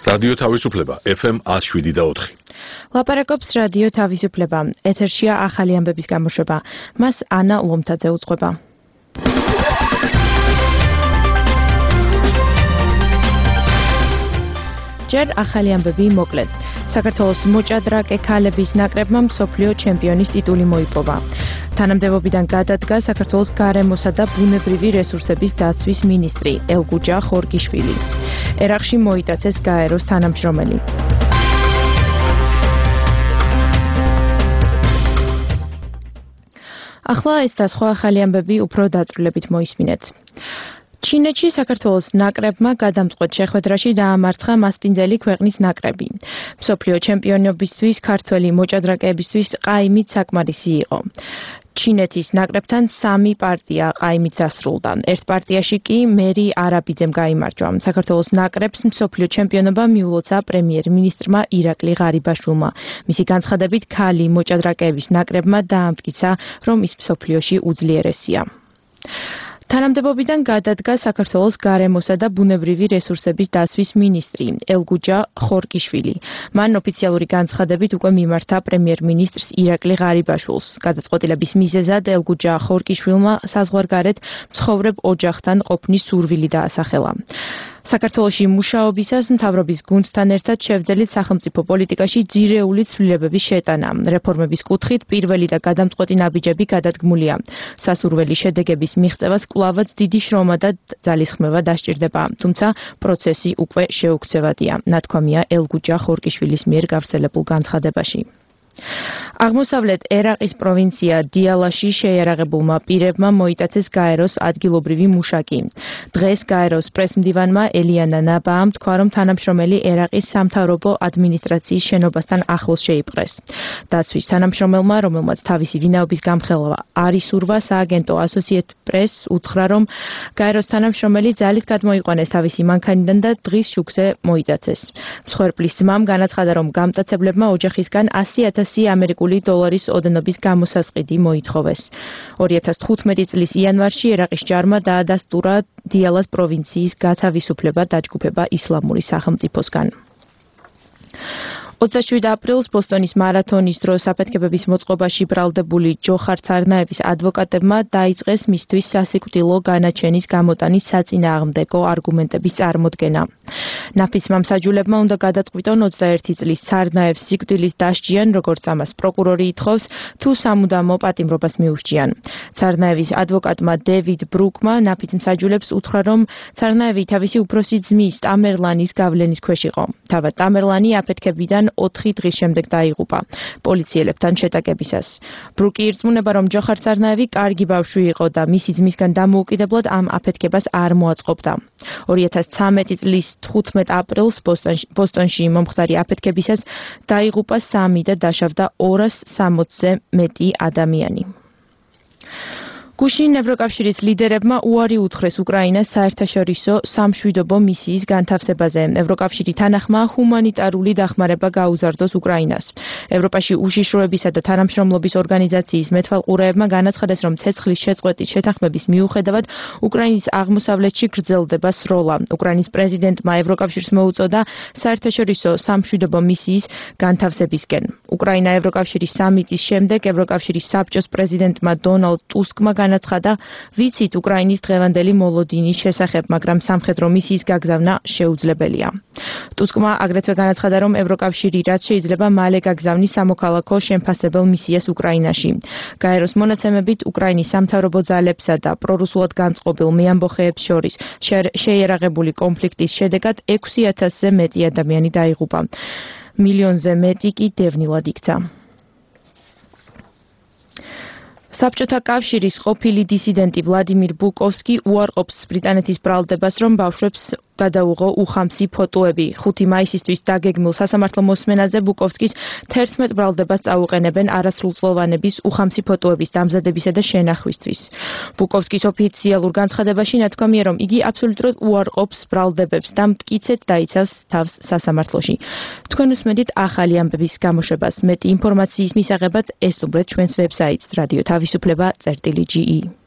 რადიო თავისუფლება FM 107.4. ლაპარაკობს რადიო თავისუფლება. ეთერშია ახალი ამბების გამოშვება. მას ანა ლომთაძე უძღვება. ჯერ ახალი ამბები მოკლედ. საქართველოს მოჭადრაკე ქალების ნაკრებმა მსოფლიო ჩემპიონის ტიტული მოიპოვა. თანამდებობიდან გადადგა საქართველოს გარემოსა და ბუნებრივი რესურსების დაცვის მინისტრი ელგუჯა ხორგიშვილი. ერაყში მოიტაცეს გაეროს თანამშრომელი. ახლა ეს და სხვა ახალი ამბები უფრო დაწვრილებით მოისმინეთ. ჩინეთში საქართველოს ნაკრებმა გადამწყვეტ შეხვედრაში დაამარცხა მასპინძელი ქვეყნის ნაკრები. მსოფლიო ჩემპიონობისთვის ქართველი მოჭადრაკეებისთვის ყაიმით საკმარისი იყო. ჩინეთის ნაკრებთან 3 პარტია ყაიმით დასრულდა. ერთ პარტიაში კი მერი არაბიძემ გაიმარჯვა. საქართველოს ნაკრებს მსოფლიო ჩემპიონობა მიულოცა პრემიერ-მინისტრმა ირაკლი ღარიბაშვილმა. მისი განცხადებით ქალი მოჭადრაკეების ნაკრებმა დაამტკიცა, რომ ის მსოფლიოში უძლიერესია. თანამდებობიდან გადადგა საქართველოს გარემოსა და ბუნებრივი რესურსების დაცვის მინისტრი ელგუჯა ხორგიშვილი. მან ოფიციალური განცხადებით უკვე მიმართა პრემიერ-მინისტრს ირაკლი ღარიბაშვილს. გადაწყვეტილების მიზეზად ელგუჯა ხორგიშვილმა საზღვარგარეთ მცხოვრებ ოჯახთან ყოფნის სურვილი დაასახელა. საქართველოში მუშაობისას მთავრობის გუნდთან ერთად შევძელით სახელმწიფო პოლიტიკაში ძირეული ცვლილებების შეტანა. რეფორმების კუთხით პირველი და გადამწყვეტი ნაბიჯები გადადგმულია. სასურველი შედეგების მიღწევას კვლავაც დიდი შრომა და ძალისხმევა დასჭირდება, თუმცა პროცესი უკვე შეუქცევადია, ნათქვამია ელგუჯა ხორგიშვილის მიერ გავრცელებულ განცხადებაში. აღმოსავლეთ ერაყის პროვინცია დიალაში შეიარაღებულმა პირებმა მოიტაცეს გაეროს ადგილობრივი მუშაკი. დღეს გაეროს პრესმდივანმა ელიანა ნაბაამ თქვა, რომ თანამშრომელი ერაყის სამთავრობო ადმინისტრაციის შენობასთან ახლოს შეიპყრეს. დაცვის თანამშრომელმა, რომელმაც თავისი ვინაობის გამხელვა არ ისურვა, სააგენტო Associated Press უთხრა, რომ გაეროს თანამშრომელი ძალით გადმოიყვანეს თავისი მანქანიდან და დღის შუქზე მოიტაცეს. მსხვერპლის ძმამ განაცხადა, რომ გამტაცებლებმა ოჯახისგან 100,000 ამერიკული დოლარის ოდენობის გამოსასყიდი მოითხოვეს. 2015 წლის იანვარში ერაყის ჯარმა დაადასტურა დიალას პროვინციის გათავისუფლება დაჯგუფება ისლამური სახელმწიფოსგან. 27 აპრილს ბოსტონის მარათონის დროს აფეთქებების მოწყობაში ბრალდებული ჯოხარ ცარნაევის ადვოკატებმა დაიწყეს მისთვის სასიკვდილო განაჩენის გამოტანის საწინააღმდეგო არგუმენტების წარმოდგენა. ნაფიცმა მსაჯულებმა უნდა გადაწყვიტონ 21 წლის ცარნაევს სიკვდილით დასჯიან, როგორც ამას პროკურორი ითხოვს, თუ სამუდამო პატიმრობას მიუსჯიან. ცარნაევის ადვოკატმა დევიდ ბრუკმა ნაფიც მსაჯულებს უთხრა, რომ ცარნაევი თავისი უფროსი ძმის ტამერლანის გავლენის ქვეშ იყო. თავად ტამერლანი აფეთქებიდან 4 დღის შემდეგ დაიღუპა პოლიციელებთან შეტაკებისას. ბრუკი ირწმუნება, რომ ჯოხარ ცარნაევი კარგი ბავშვი იყო და მისი ძმისგან დამოუკიდებლად ამ აფეთქებას არ მოაწყობდა. 2013 წლის 15 აპრილს ბოსტონში მომხდარი აფეთქებისას დაიღუპა 3 და დაშავდა 260-ზე მეტი ადამიანი. გუშინ ევროკავშირის ლიდერებმა უარი უთხრეს უკრაინას საერთაშორისო სამშვიდობო მისიის განთავსებაზე. ევროკავშირი თანახმა ჰუმანიტარული დახმარება გაუზარდოს უკრაინას. ევროპაში უშიშროებისა და თანამშრომლობის ორგანიზაციის მეთვალყურეებმა განაცხადეს, რომ ცეცხლის შეწყვეტის შეთანხმების მიუხედავად უკრაინის აღმოსავლეთში გრძელდება სროლა. უკრაინის პრეზიდენტმა ევროკავშირს მოუწოდა საერთაშორისო სამშვიდობო მისიის განთავსებისკენ. უკრაინა ევროკავშირის სამიტის შემდეგ ევროკავშირის საბჭოს პრეზიდენტმა დონალდ ტუსკმა განაცხადა, ვიცით უკრაინის დღევანდელი მოლოდინის შესახებ, მაგრამ სამხედრო მისიის გაგზავნა შეუძლებელია. ტუსკმა აგრეთვე განაცხადა, რომ ევროკავშირი რაც შეიძლება მალე გაგზავნის სამოქალაქო შემფასებელ მისიას უკრაინაში. გაეროს მონაცემებით უკრაინის სამთავრობო ძალებსა და პრორუსულად განწყობილ მეამბოხეებს შორის შეიარაღებული კონფლიქტის შედეგად 6,000-ზე მეტი ადამიანი დაიღუპა. მილიონზე მეტი კი დევნილად იქცა. საბჭოთა კავშირის ყოფილი დისიდენტი ვლადიმირ ბუკოვსკი უარყოფს ბრიტანეთის ბრალდებას, რომ ბავშვებს გადაუღო უხამსი ფოტოები. 5 მაისისთვის დაგეგმილ სასამართლო მოსმენაზე ბუკოვსკის 11 ბრალდებას წაუყენებენ არასრულწლოვანების უხამსი ფოტოების დამზადებისა და შენახვისთვის. ბუკოვსკის ოფიციალურ განცხადებაში ნათქვამია, რომ იგი აბსოლუტურად უარყოფს ბრალდებებს და მტკიცედ დაიცავს თავს სასამართლოში. თქვენ უსმენთ ახალი ამბების გამოშვებას. მეტი ინფორმაციის მისაღებად ესტუმრეთ ჩვენს ვებსაიტს radio-tavisupleba.ge